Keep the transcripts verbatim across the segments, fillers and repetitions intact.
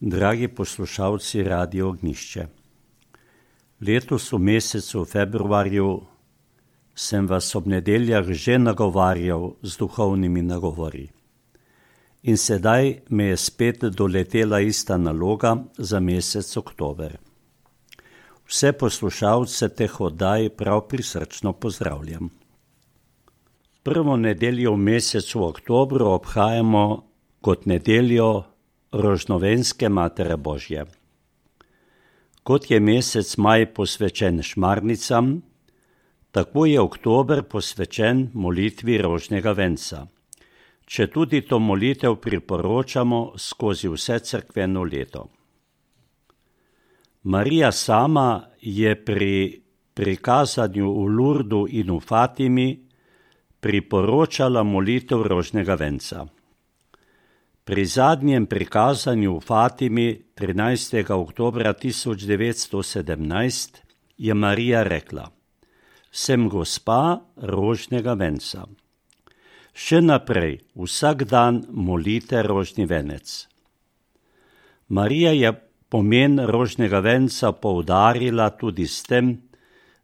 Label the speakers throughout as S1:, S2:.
S1: Dragi poslušalci Radio Ognjišče, letos v mesecu februarju sem vas ob nedeljah že nagovarjal z duhovnimi nagovori. In sedaj me je spet doletela ista naloga za mesec oktober. Vse poslušalce teh oddaj prav prisrčno pozdravljam. Prvo nedeljo v mesecu oktobru obhajamo kot nedeljo Rožnovenske Matere Božje. Kot je mesec maj posvečen šmarnicam, tako je oktober posvečen molitvi rožnega venca. Če tudi to molitev priporočamo skozi vse cerkveno leto. Marija sama je pri prikazanju v Lurdu in v Fatimi priporočala molitev rožnega venca. Pri zadnjem prikazanju v Fatimi trinajstega oktobra tisoč devetsto sedemnajst je Marija rekla: Sem gospa rožnega venca. Še naprej vsak dan molite rožni venec. Marija je pomen rožnega venca poudarila tudi s tem,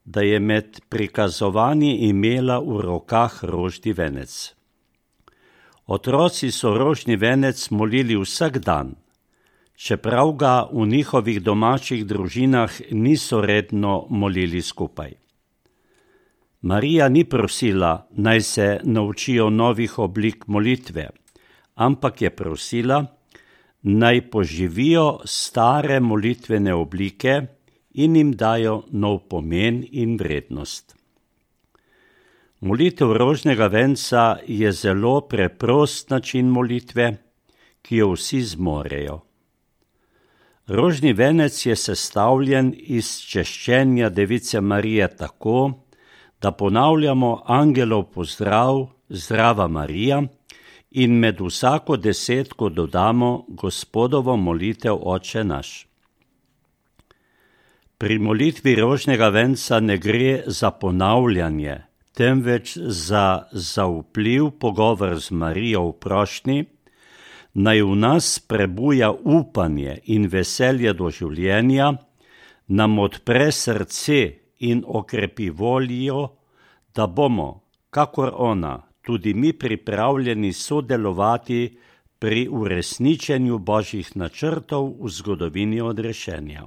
S1: da je med prikazovanji imela v rokah rožni venec. Otroci so rožni venec molili vsak dan, čeprav ga v njihovih domačih družinah niso redno molili skupaj. Marija ni prosila, naj se naučijo novih oblik molitve, ampak je prosila, naj poživijo stare molitvene oblike in jim dajo nov pomen in vrednost. Molitev rožnega venca je zelo preprost način molitve, ki jo vsi zmorejo. Rožni venec je sestavljen iz češčenja Device Marije tako, da ponavljamo angelov pozdrav Zdrava Marija in med vsako desetko dodamo Gospodovo molitev Oče naš. Pri molitvi rožnega venca ne gre za ponavljanje, temveč za zaupljiv pogovor z Marijo v prošnji, naj v nas prebuja upanje in veselje do življenja, nam odpre srce in okrepi voljo, da bomo, kakor ona, tudi mi pripravljeni sodelovati pri uresničenju Božjih načrtov v zgodovini odrešenja.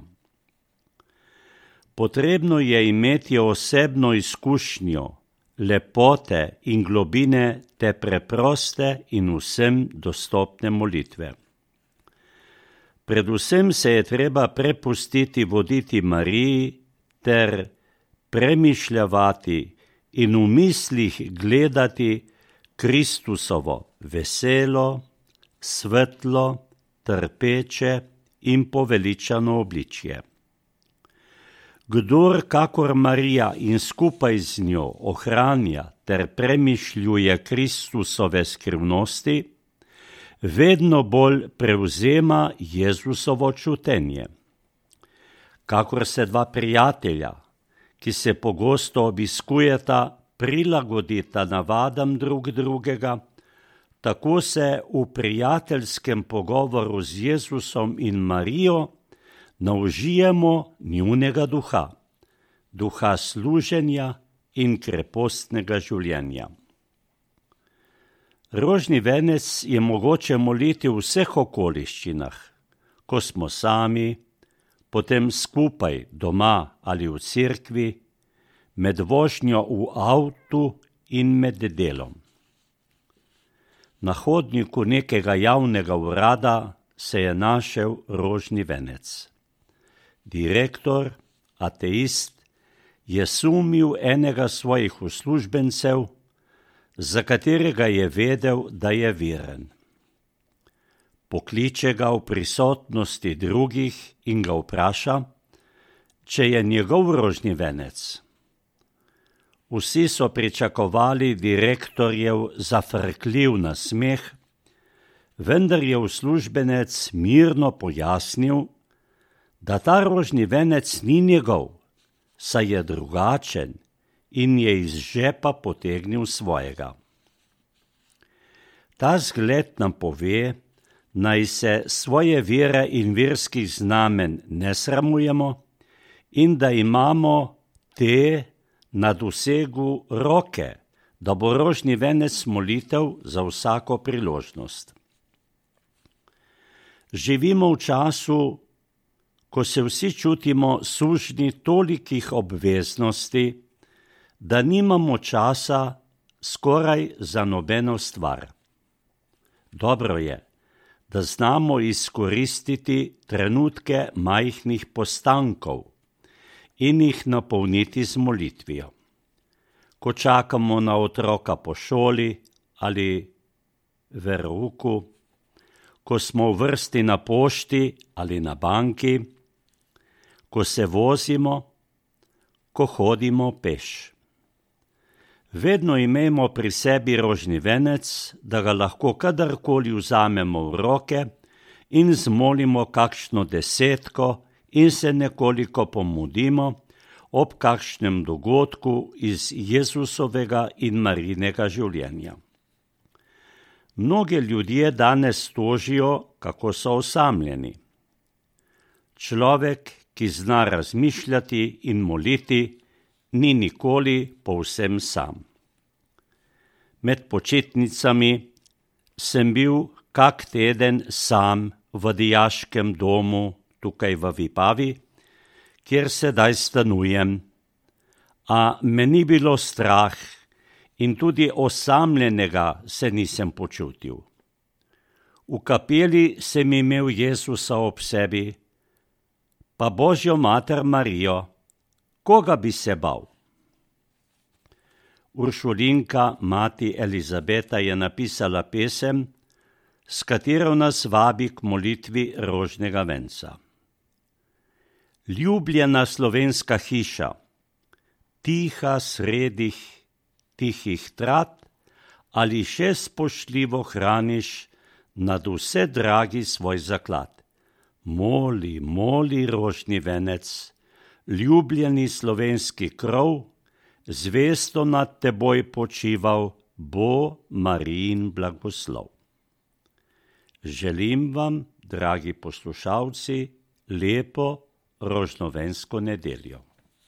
S1: Potrebno je imeti osebno izkušnjo, lepote in globine te preproste in vsem dostopne molitve. Predvsem se je treba prepustiti voditi Mariji ter premišljavati in v mislih gledati Kristusovo veselo, svetlo, trpeče in poveličano obličje. Kdor kakor Marija in skupaj z njo ohranja ter premišljuje Kristusove skrivnosti, vedno bolj prevzema Jezusovo čutenje. Kakor se dva prijatelja, ki se pogosto obiskujeta, prilagodita navadam drug drugega, tako se v prijateljskem pogovoru z Jezusom in Marijo naužijemo njunega duha, duha služenja in krepostnega življenja. Rožni venec je mogoče moliti v vseh okoliščinah, ko smo sami, potem skupaj doma ali v cerkvi, med vožnjo v avtu in med delom. Na hodniku nekega javnega urada se je našel rožni venec. Direktor, ateist, je sumil enega svojih uslužbencev, za katerega je vedel, da je veren. Pokliče ga v prisotnosti drugih in ga vpraša, če je njegov rožni venec. Vsi so pričakovali direktorjev zafrkljiv nasmeh, vendar je uslužbenec mirno pojasnil, da ta rožni venec ni njegov, saj je drugačen in je iz žepa potegnil svojega. Ta zgled nam pove, naj se svoje vere in verskih znamen ne sramujemo in da imamo te na dosegu roke, da bo rožni venec molitev za vsako priložnost. Živimo v času, ko se vsi čutimo sužnji tolikih obveznosti, da nimamo časa skoraj za nobeno stvar. Dobro je, da znamo izkoristiti trenutke majhnih postankov in jih napolniti z molitvijo. Ko čakamo na otroka po šoli ali verouku, ko smo v vrsti na pošti ali na banki, ko se vozimo, ko hodimo peš. Vedno imejmo pri sebi rožni venec, da ga lahko kadarkoli vzamemo v roke in zmolimo kakšno desetko in se nekoliko pomudimo ob kakšnem dogodku iz Jezusovega in Marijinega življenja. Mnogi ljudje danes tožijo, kako so osamljeni. Človek, ki zna razmišljati in moliti, ni nikoli povsem sam. Med počitnicami sem bil kak teden sam v dijaškem domu tukaj v Vipavi, kjer sedaj stanujem, a me ni bilo strah in tudi osamljenega se nisem počutil. V kapeli sem imel Jezusa ob sebi, pa Božjo mater Marijo. Koga bi se bal? Uršulinka, mati Elizabeta, je napisala pesem, s katero nas vabi k molitvi rožnega venca. Ljubljena slovenska hiša, tiha sredih tihih trat, ali še spoštljivo hraniš nad vse dragi svoj zaklad. Moli, moli, rožni venec, ljubljeni slovenski krov, zvesto nad teboj počival bo Marijin blagoslov. Želim vam, dragi poslušalci, lepo rožnovensko nedeljo.